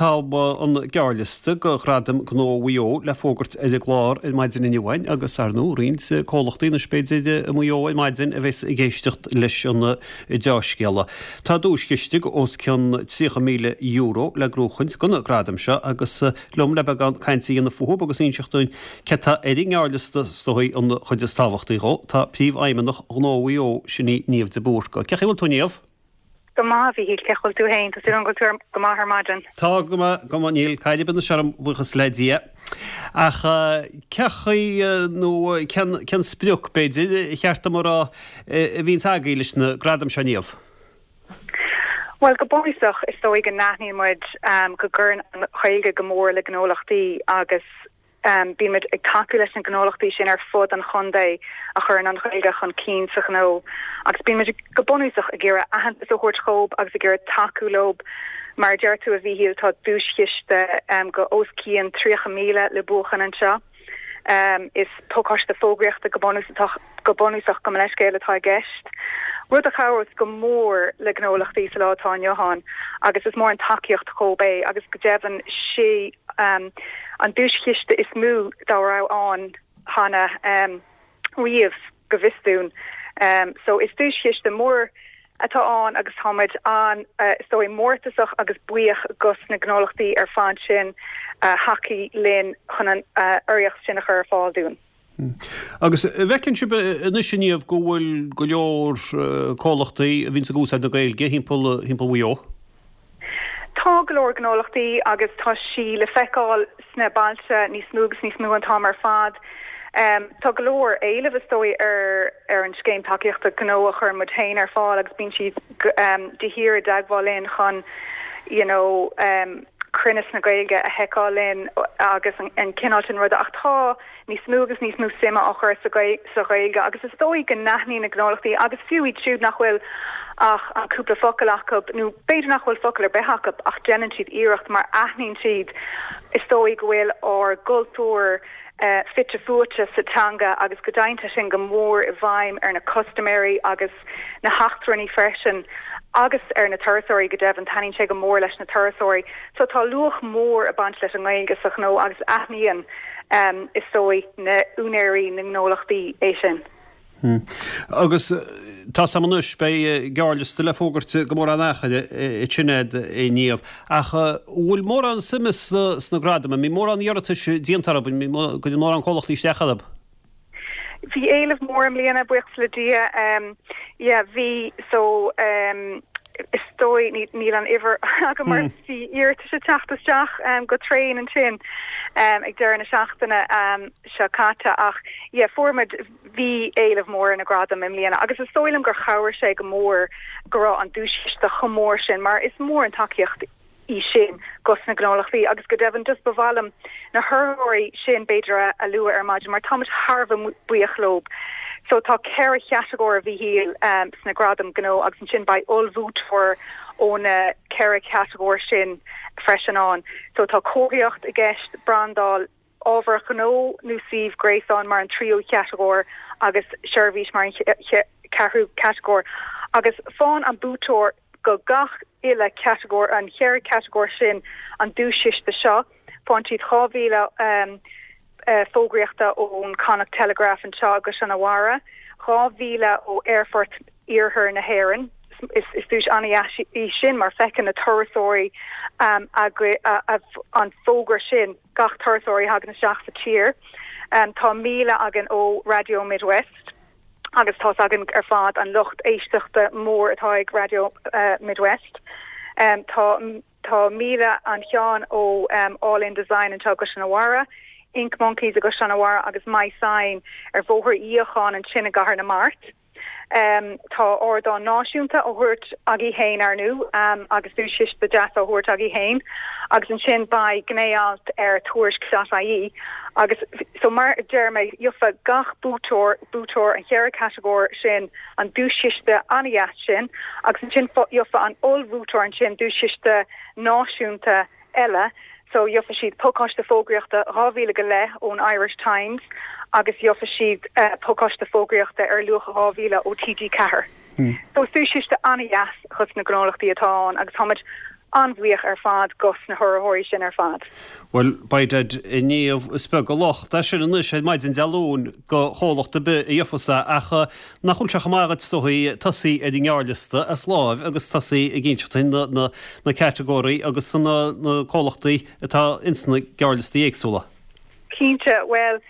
Tá an gearrliosta do Ghradaim Gnó Mhaigh Eo le fógairt ar an gclár ar maidin inniu againn agus, ar ndóigh, roinnt comhlachtaí anois b'fhéidir i Maigh Eo ar maidin a bheas ag éisteacht leis an deá-scéala. Tá duaischiste os cionn €30,000 le gnóchaint do na gradaim seo agus liom le beagán cainte a dhéanamh fúthu agus inseacht dúinn cé tá ar an ngearrliosta, is dóigh an chuid is tábhachtaí dhó, tá Príomhfheidhmeannach Ghnó Mhaigh Eo, sin í Niamh de Búrca. Cén chaoi a bhfuil tú Niamh? Go maith, a Mhíchíl, cén chaoi a bhfuil tú fhéin? Tá súil agam go bhfuil tú go maith ar maidin. Tá go maith, go maith, níl caill ar bith anois orm, buíochas le Dia. Ach cén chaoi, nó cén, cén sprioc, b'fhéidir, ar cheart dom a rá, a bhíonns agaibh leis na gradaim seo, Niamh? Bhuel, go bunúsach, is dóigh go n-aithníonn muid go gcuireann an Ghaeilge go mór le gnólachtaí agus, Bímid ag tacú leis na gnólachtaí sin ar fud an chontae a chuireann an Ghaeilge chun cinn sa ghnó agus bímid go bunúsach ag iarraidh aitheantas a thabhairt dhób agus ag iarraidh tacú leo. Mar a deir tú, a Mhíchíl, tá duaischiste go os cionn 30,000 le buachan anseo. Is pacáiste fógraíochta go bunúsach go bunúsach, gabh mo leithscéal, atá i gceist, rud a chabhrós go mór le gnólachtaí sa lá atá inniu ann agus is mór an tacaíocht dhób é agus go deimhin sé an duaischiste is mó dá raibh ann cheana riamh, go bhfios dúinn. So is duaischiste mór atá ann agus táimid an, is dóigh, mórtasach agus buíoch dos na gnólachtaí ar fad sin a thacaigh linn chun an urraíocht sin a chur ar fáil dúinn. Agus an bhfeiceann sibh anois, a Niamh, go bhfuil go leor comhlachtaí a bhíonns ag úsáid na Gaeilge thimpeall Mhaigh Eo? Tá go leor gnólachtaí agus tá sí le feiceáil sna bailte níos mó agus níos mó an t-am ar fad. Tá go leor éilimh, is dóigh, ar ar an scéim tacaíochta gnó a chuireann muid féin ar fáil agus bíonn siad de shíor i dteagmháil linn chun you know cruinneas na Gaeilge a sheiceáil linn agus an cineál sin ruda ach tá níos mó agus níos mó suime á chur sa Ghaeilge agus is dóigh go n-aithníonn na gnólachtaí agus fiú iad siúd nach bhfuil ach an cúpla focal acu nó b'fhéidir nach bhfuil focal ar bith acu ach déanann siad iarracht mar aithníonn siad is dóigh go bhfuil ár gcultúr fite fuaite sa teanga agus go dtéann sé sin go mór i bhfeidhm ar na custaiméirí agus na heachtrannaigh freisin agus ar na turasóirí go deimhin, taitníonn sé go mór leis na turasóirí. So tá luach mór ag baint leis an nGaeilge sa ghnó agus aithníonn, is dóigh, na úinéirí na ngnólachtaí é sin. Agus tá 's a'm anois, beidh gearrliosta le fógairt go mórán achair ansin a'd, a Niamh. Ach an bhfuil mórán suime sna gradaim? An mbíonn mórán iarratais déanta orthu? An gcuireann mórán comhlachtaí isteach orthu? Bhí éileamh mór i mbliana, buíochas le Dia. Yeah, bhí, so is dóigh, níl an uimhir agam mar bhí iarratais ag teacht isteach go tréan ansin ag deireadh na seachtaine seo caite ach yeah, fuair muid, bhí éileamh mór ar na gradaim i mbliana agus is dóigh liom gur chabhraigh sé go mór go raibh an duaischiste chomh mór sin mar is mór an tacaíocht í sin dos na gnólachtaí agus go deimhin just ba mhaith liom na hurraitheoirí sin b'fhéidir a a lua ar maidin mar táimid thar a bheith buíoch leo. So tá 4 chatagóir a Mhíchíl sna gradaim gnó agus ansin beidh ollbhuaiteoir ó na 4 chatagóir sin freisin ann. So tá comharthaíocht i gceist, brandáil, ábhar gnó nó suíomh gréasáin mar an tríú chatagóir agus seirbhís mar an ceathrú catagóir agus faigheann an buaiteoir go gach uile chatagóir, an cheithre chatagóir sin, an duaischiste seo. Faigheann siad 2,000 fógraíochta ón Connacht Telegraph anseo i gCaisleán an Bharraigh, 2,000 ó Aerfort Iarthar na hÉireann. Is duais an-dheas í sin mar feiceann na turasóirí an fógra sin. gach turasóir a thagann isteach sa tír. Tá 1,000 againn ó Raidió Midwest agus tá's againn ar fad an lucht éisteachta mór atá ag Raidió Midwest. Tá tá 1,000 an cheann ó All In Design anseo i gCaisleán an Bharraigh, Ink Monkeys i gCaisleán an Bharraigh agus My Sign ar Bhóthar Uí Fhiacháin ansin i gCathair na Mart. Tá ardán náisiúnta á thabhairt agaibh féin, ar ndú, agus duaischiste deas á thabhairt agaibh féin, agus ansin beidh gné-alt ar Tuairisc.ie agus so mar a deir mé, gheofa gach buaiteoir, buaiteoir an cheithre catagóir sin an duaischiste an-dheas sin agus ansin gheofa an ollbhuaiteoir ansin duaischiste náisiúnta eile so gheofa siad pacáiste fógraíochta 2,000 go leith ón Irish Times agus gheofa siad pacáiste fógraíochta ar luach 2,000 ó TG4. So is duaischiste an-dheas dhos na gnólachtaí atá ann agus táimid. an-bhuíoch ar fad dos na hurraitheoirí sin ar fad. Bhuel, by dad, a Niamh, is beag an locht é sin anois ar maidin Dé Luain do chomhlacht ar bith a gheofas é ach nach bhfuil sé chomh maith agat is dóigh tosaí ar an ngearrliosta as láimh agus tosaí ag inseacht duinn na na catagóirí agus na na comhlachtaí atá ins na gearrliostaí éagsúla. Cinnte, bhuel,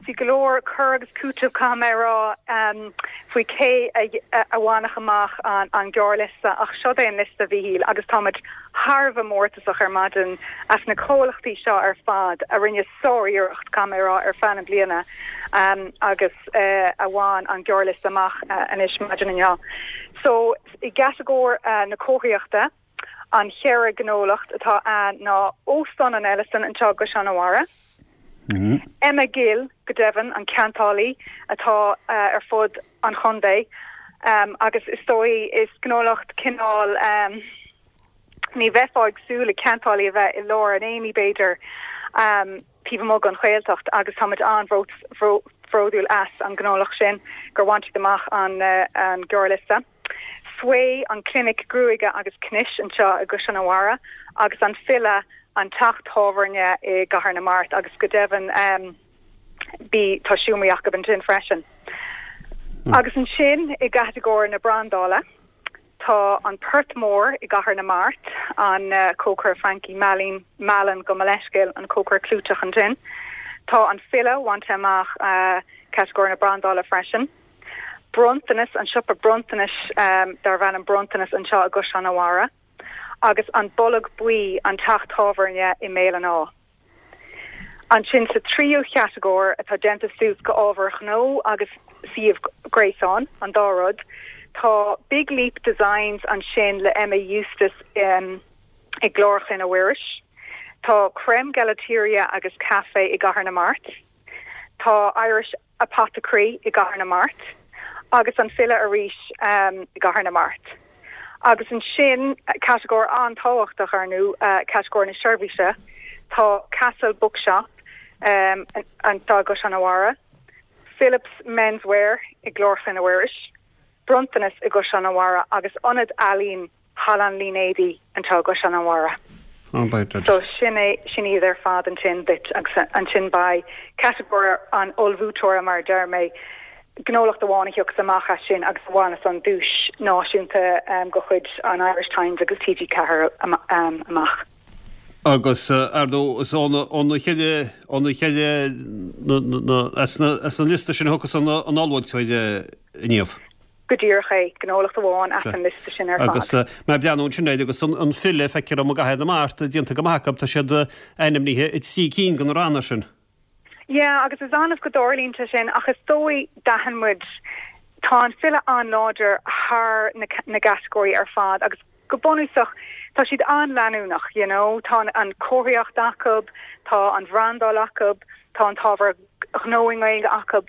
Bhí go leor cur agus cúiteamh, caithfidh mé a rá, faoi cé a bhainfeadh amach an gearrliosta ach seo é an liosta, a Mhíchíl, agus táimid thar a bheith mórtasach ar maidin as na comhlachtaí seo ar fad a rinne sár-iarracht, caithfidh mé a rá, ar feadh na bliana agus a bhain an gearrliosta amach anois maidin inniu. So, i gcatagóir na comharthaíochta, An cheithre ghnólacht atá ann ná Óstán an Ellison anseo i gCaisleán an Bharraigh, Emma Gill, go deimhin, an ceantálaí atá ar fud an chontae agus is dóigh is gnólacht cineál ní bheifeá ag súil le ceantálaí a bheith i lár an aonaigh b'fhéidir taobh amuigh den Ghaeltacht agus táimid an-bhródúil as an ngnólacht sin gur bhain siad amach an gearrliosta. Sway, an clinic gruaige agus cnis anseo i gCaisleán an Bharraigh agus an File, an teach tábhairne i gCathair na Mart agus go deimhin bí tá seomraí acu ansin freisin. Agus ansin i gcatagóir na brandála tá an Port Mór i gCathair na Mart, an cócaire Frankie Mallin, Mallon gabh mo leithscéal, an cócaire clúiteach ansin. Tá an File bainte amach catagóir na brandála freisin. Bronntanas, an siopa bronntanais darbh ainm Bronntanas anseo i gCaisleán an Bharraigh, agus An Bolg Buí, an teach tábhairne i mBéal an Átha. Ansin sa tríú chatagóir, atá déanta suas go ábhair ghnó agus suíomh gréasáin, an dá rud, tá Big Leap Designs ansin le Emma Eustace i gClár Chlainne Mhuiris, tá Creme Gelateria agus Café i gCathair na Mart, tá Irish Apothecary i gCathair na Mart agus an File arís i gCathair na Mart. Agus ansin, catagóir an-tábhachtach, ar ndú, catagóir na seirbhíse, tá Castle Bookshop anseo i gCaisleán an Bharraigh, Philips Menswear i gClár Chlainne Mhuiris, Bronntanas i gCaisleán an Bharraigh agus Ionad Ealaíon Halla an Línéadaigh anseo i gCaisleán an Bharraigh. So sin é, sin iad ar fad ansin duit agus ansin beidh catagóir an ollbhuaiteora mar a deir mé, gnólacht amháin a thiocfas amach as sin agus a bhaineas an duais náisiúnta de chuid an Irish Times agus TG4 amach. Agus ar ndóigh is óna cheithre, óna cheithre, as an liosta sin a thiocfas an ollbhuaiteoir a Niamh. Go díreach é, gnólacht amháin as an liosta sin ar fad. Agus mé ag breathnú ansin air agus an File, feictear dom i gCathair na Mart, déanta go maith acu, tá siad ainmnithe i dtrí cinn de na ranna sin. Yeah, agus is annamh go dtarlaíonn sé sin ach is dóigh d'aithin muid, tá an File an-láidir thar na na gcatagóirí ar fad agus go bunúsach tá siad an-leanúnach, you know, tá an chomharthaíocht acu, tá an bhrandáil acu, tá an t-ábhar gnó i nGaeilge acu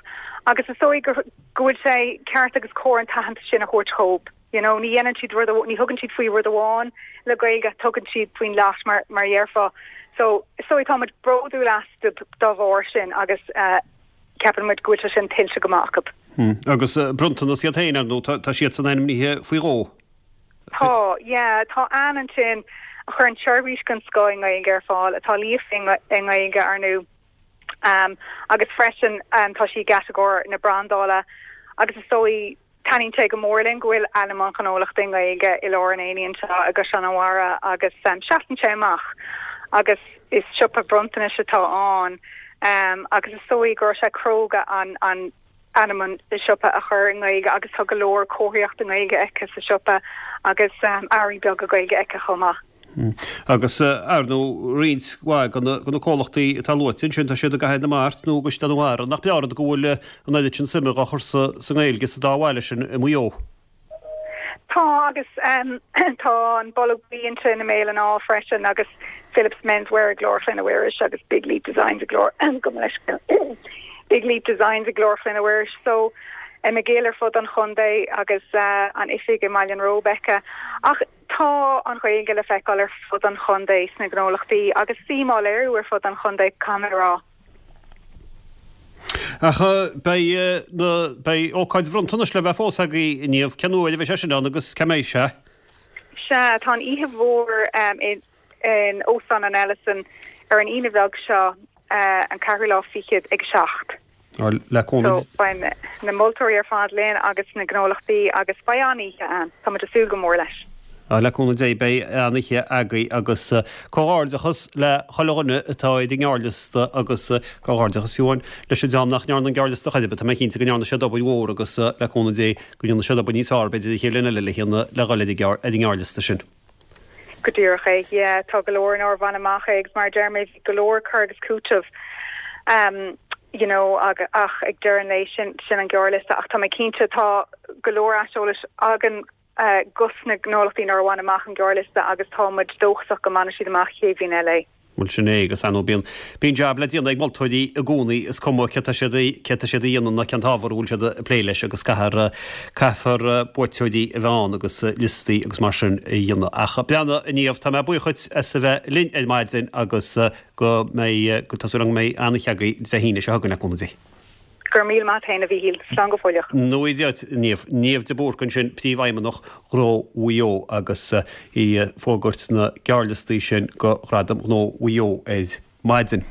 agus is dóigh go go bhfuil sé ceart agus cóir an t-aitheantas sin a thabhairt dhóibh. You know, ní dhéanann siad rud, ní thugann siad faoi rud amháin le Gaeilge, tugann siad faoin lot mar mar a dhéarfá. So is dóigh tá muid bródúil astu dá bharr sin agus eh, ceapann muid go bhfuil sé sin tuillte go maith acu. Hmm. Agus eh, bronntanas iad féin ar ndóigh, tá, tá siadsan ainmnithe faoi dhó. Tá, yeah, tá Ann ansin a chuireann seirbhís den scoth i nGaeilge ar fáil, atá líofa i nGaeilge, ar ndú. Agus freisin tá sí i gcatagóir na brandála agus is dóigh taitníonn sé go mór linn go bhfuil ainm an ghnólachta i nGaeilge i lár an aonaigh anseo i gCaisleán an Bharraigh agus seasann sé amach agus is siopa bronntanais atá ann agus is dóigh go raibh sé cróga an an ainm an siopa a chur i nGaeilge agus tá go leor comharthaíocht i nGaeilge aici sa siopa agus earraí beaga Gaeilge aici chomh maith. Agus, ar ndóigh, roinnt mhaith de na comhlachtaí atá luaite ansin, tá siad i gCathair na Mart nó i gCaisleán an Bharraigh. Nach breá an rud go bhfuil an oiread sin suime dhá chur sa nGaeilge sa dá bhaile sin i Maigh Eo? Tá, agus tá an Bolg Buí ansin i mBéal an Átha freisin agus Philips Menswear i gClár Chlainne Mhuiris agus Big Leap Designs i gClár, gabh mo leithscéal, Big Leap Designs i gClár Chlainne Mhuiris. So, Emma Gill ar fud an chontae agus an oifig i mBaile an Róba aici. Ach tá an Ghaeilge le feiceáil ar fud an chontae sna gnólachtaí agus suim á léiriú ar fud an chontae, caithfidh mé a rá. Ach beidh na, beidh ócáid bhronntanais le bheith fós agaibh a Niamh. Cén uair a bheidh sé sin ann agus cá mbeidh sé? Sea, tá an oíche mhór in Óstán an Ellison ar an Aoine bheag seo, an ceathrú lá fichead, ag 7. Le cúnamh. So, beidh na moltóirí ar fad linn agus na gnólachtaí agus beidh an-oíche ann. Tá muid ag súil go mór leis. Le cúnamh Dé beidh an-oíche agaibh agus comhghairdeachas le chuile dhuine atá ar an ngearrliosta agus comhghairdeachas fiú amháin leis an dream nach ndearna an gearrliosta chor ar bith. Tá mé cinnte go ndearna siad obair mhór agus le cúnamh Dé go ndéanfaidh siad obair níos fearr b'fhéidir an chéad bhliain eile le le dhul ar an ngearrliosta sin. Go díreach é, yeah. Tá go leor nár bhain amach é agus mar a deir mé bhí go leor cur agus cúiteamh um you know ach ag deireadh an lae sin sin an gearrliosta ach tá mé cinnte tá go leor aiseolais againn uh, dos na gnólachtaí nár bhain amach an gearrliosta agus tá muid dóchasach go mbainfidh siad amach chéad bhliain eile é. Bhuel sin é agus ar ndóigh bíonn, bíonn jab le déanamh ag moltóirí i gcónaí, is cuma céard tá siad, céard tá siad a dhéanamh ná cén t-ábhar a bhfuil siad ag plé leis agus caithfear, caithfear buaiteoirí a bheith ann agus liostaí agus mar sin a dhéanamh. Ach breathnaigh a Niamh, tá mé buíoch dhuit as a bheith linn ar maidin agus go mbeidh, go, tá súil agam go mbeidh an-oíche agaibh Dé hAoine seo chugainn le cúnamh Dé. Go raibh míle maith a't fhéin a Mhíchíl. Slán go fóilleach. Go ngnóthaí Dia duit, Niamh. Niamh de Búrca ansin, Príomhfheidhmeannach Ghnó Mhaigh Eo agus í ag fógairt na gearrliostaí sin do Ghradaim Ghnó Mhaigh Eo ar maidin.